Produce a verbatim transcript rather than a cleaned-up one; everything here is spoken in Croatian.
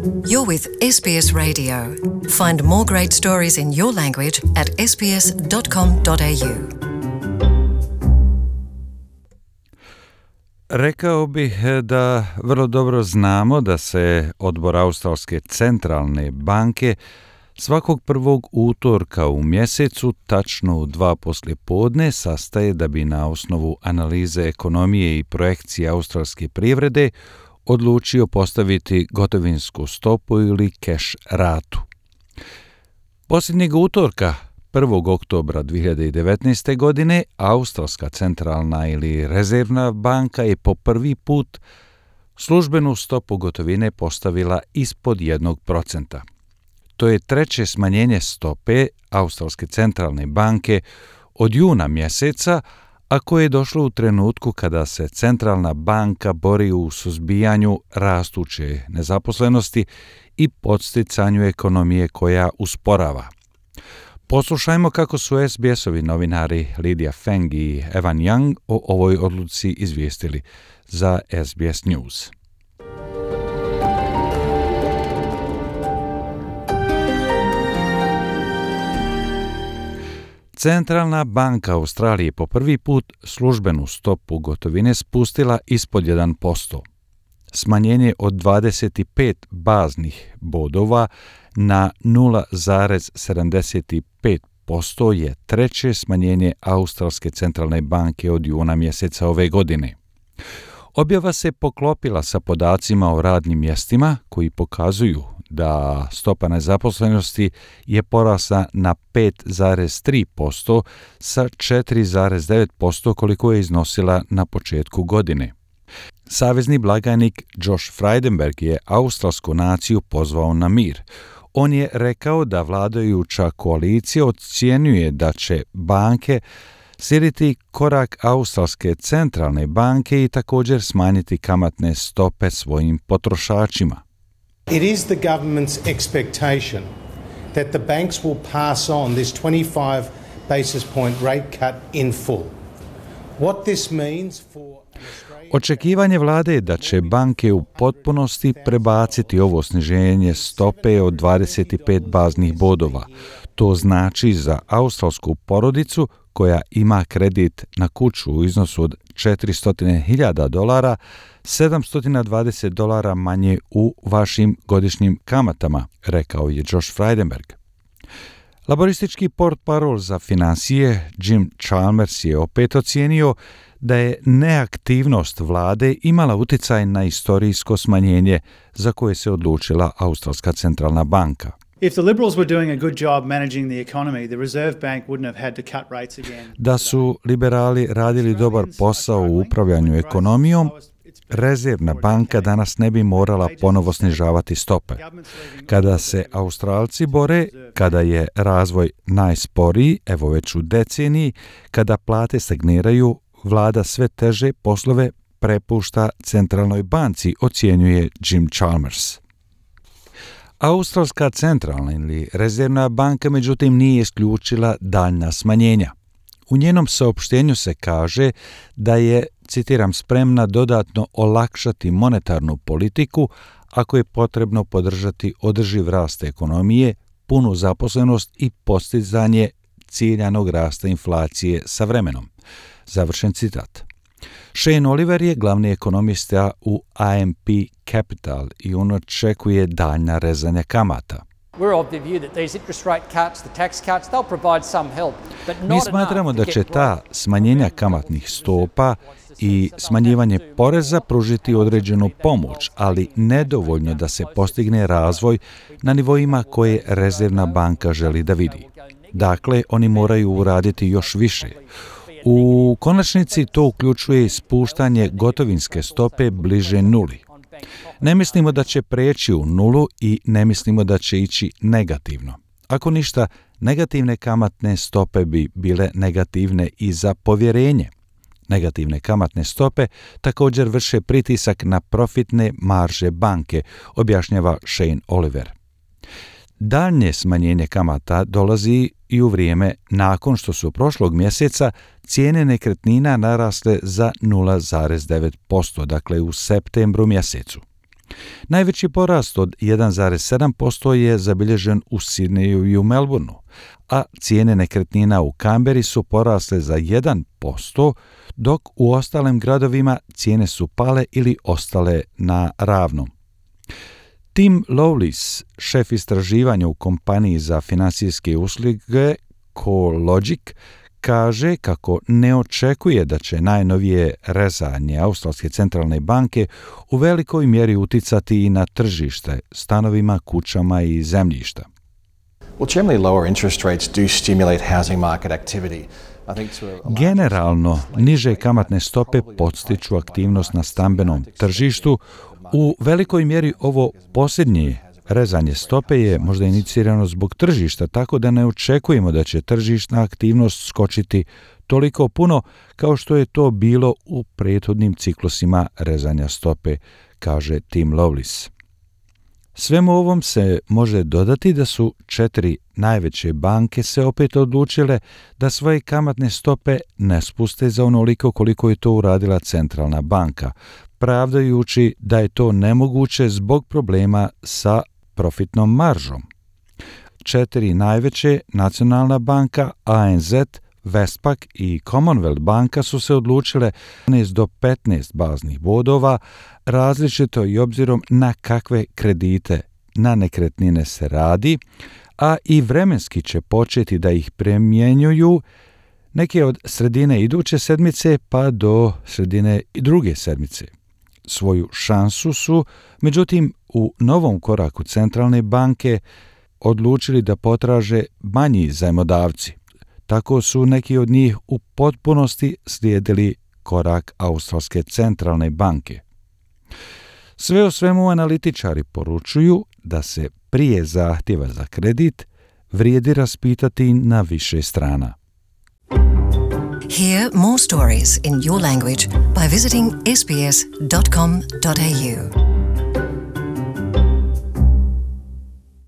You're with S B S Radio. Find more great stories in your language at s b s dot com dot a u. Rekao bih da vrlo dobro znamo da se odbor Australske centralne banke svakog prvog utorka u mjesecu, tačno u dva poslijepodne, sastaje da bi na osnovu analize ekonomije i projekcije australske privrede odlučio postaviti gotovinsku stopu ili keš ratu. Posljednjeg utorka, prvog oktobra dvije hiljade devetnaeste. godine, Australska centralna ili rezervna banka je po prvi put službenu stopu gotovine postavila ispod jednog procenta. To je treće smanjenje stope Australske centralne banke od juna mjeseca, a koje je došlo u trenutku kada se centralna banka bori u suzbijanju rastuće nezaposlenosti i podsticanju ekonomije koja usporava. Poslušajmo kako su S B S-ovi novinari Lydia Feng i Evan Young o ovoj odluci izvijestili za S B S News. Centralna banka Australije po prvi put službenu stopu gotovine spustila ispod jedan posto. Smanjenje od dvadeset pet baznih bodova na nula zarez sedamdeset pet posto je treće smanjenje Australske centralne banke od juna mjeseca ove godine. Objava se poklopila sa podacima o radnim mjestima koji pokazuju da stopa nezaposlenosti je porasla na pet zarez tri posto sa četiri zarez devet posto koliko je iznosila na početku godine. Savezni blagajnik Josh Frydenberg je australsku naciju pozvao na mir. On je rekao da vladajuća koalicija ocjenjuje da će banke slijediti korak Australske centralne banke i također smanjiti kamatne stope svojim potrošačima. It is the government's expectation that the banks will pass on this twenty-five basis point rate cut in full. What this means for Očekivanje vlade je da će banke u potpunosti prebaciti ovo sniženje stope od dvadeset pet baznih bodova. To znači za australsku porodicu koja ima kredit na kuću u iznosu od četiristo hiljada dolara, sedamsto dvadeset dolara manje u vašim godišnjim kamatama, rekao je Josh Frydenberg. Laboristički portparol za financije Jim Chalmers je opet ocijenio da je neaktivnost vlade imala utjecaj na istorijsko smanjenje za koje se odlučila Australska centralna banka. If the Liberals were doing a good job managing the economy, the Reserve Bank wouldn't have had to cut rates again. Da su liberali radili dobar posao u upravljanju ekonomijom, Rezervna banka danas ne bi morala ponovo snižavati stope. Kada se Australci bore, kada je razvoj najsporiji, evo već u deceniji, kada plate stagniraju, vlada sve teže poslove prepušta centralnoj banci, ocjenjuje Jim Chalmers. Australska centralna ili rezervna banka međutim nije isključila daljnja smanjenja. U njenom saopštenju se kaže da je, citiram, spremna dodatno olakšati monetarnu politiku ako je potrebno podržati održiv rast ekonomije, punu zaposlenost i postizanje ciljanog rasta inflacije sa vremenom. Završen citat. Shane Oliver je glavni ekonomista u A M P Capital i on očekuje daljnja rezanja kamata. Mi smatramo da će ta smanjenja kamatnih stopa i smanjivanje poreza pružiti određenu pomoć, ali nedovoljno da se postigne razvoj na nivoima koje Rezervna banka želi da vidi. Dakle, oni moraju uraditi još više. U konačnici to uključuje spuštanje gotovinske stope bliže nuli. Ne mislimo da će preći u nulu i ne mislimo da će ići negativno. Ako ništa, negativne kamatne stope bi bile negativne i za povjerenje. Negativne kamatne stope također vrše pritisak na profitne marže banke, objašnjava Shane Oliver. Daljnje smanjenje kamata dolazi i u vrijeme nakon što su prošlog mjeseca cijene nekretnina narasle za nula zarez devet posto, dakle u septembru mjesecu. Najveći porast od jedan zarez sedam posto je zabilježen u Sidneju i u Melbourneu, a cijene nekretnina u Canberri su porasle za jedan posto, dok u ostalim gradovima cijene su pale ili ostale na ravnom. Tim Lowlis, šef istraživanja u kompaniji za financijske usluge CoreLogic, kaže kako ne očekuje da će najnovije rezanje Australske centralne banke u velikoj mjeri uticati i na tržište stanovima, kućama i zemljišta. Well, generally lower interest rates do stimulate housing market activity. Generalno, niže kamatne stope podstiču aktivnost na stambenom tržištu. U velikoj mjeri ovo posljednje rezanje stope je možda inicirano zbog tržišta, tako da ne očekujemo da će tržišna aktivnost skočiti toliko puno kao što je to bilo u prethodnim ciklusima rezanja stope, kaže Tim Lowlis. Svemu ovom se može dodati da su četiri najveće banke se opet odlučile da svoje kamatne stope ne spuste za onoliko koliko je to uradila centralna banka, pravdajući da je to nemoguće zbog problema sa profitnom maržom. Četiri najveće, Nacionalna banka, A N Z, Westpac i Commonwealth banka su se odlučile jedanaest do petnaest baznih bodova, različito i obzirom na kakve kredite na nekretnine se radi, a i vremenski će početi da ih primjenjuju neke od sredine iduće sedmice pa do sredine druge sedmice. Svoju šansu su, međutim, u novom koraku centralne banke odlučili da potraže manji zajmodavci. Tako su neki od njih u potpunosti slijedili korak Australske centralne banke. Sve o svemu analitičari poručuju da se prije zahtjeva za kredit vrijedi raspitati na više strana. Hear more stories in your language by visiting s b s dot com dot a u.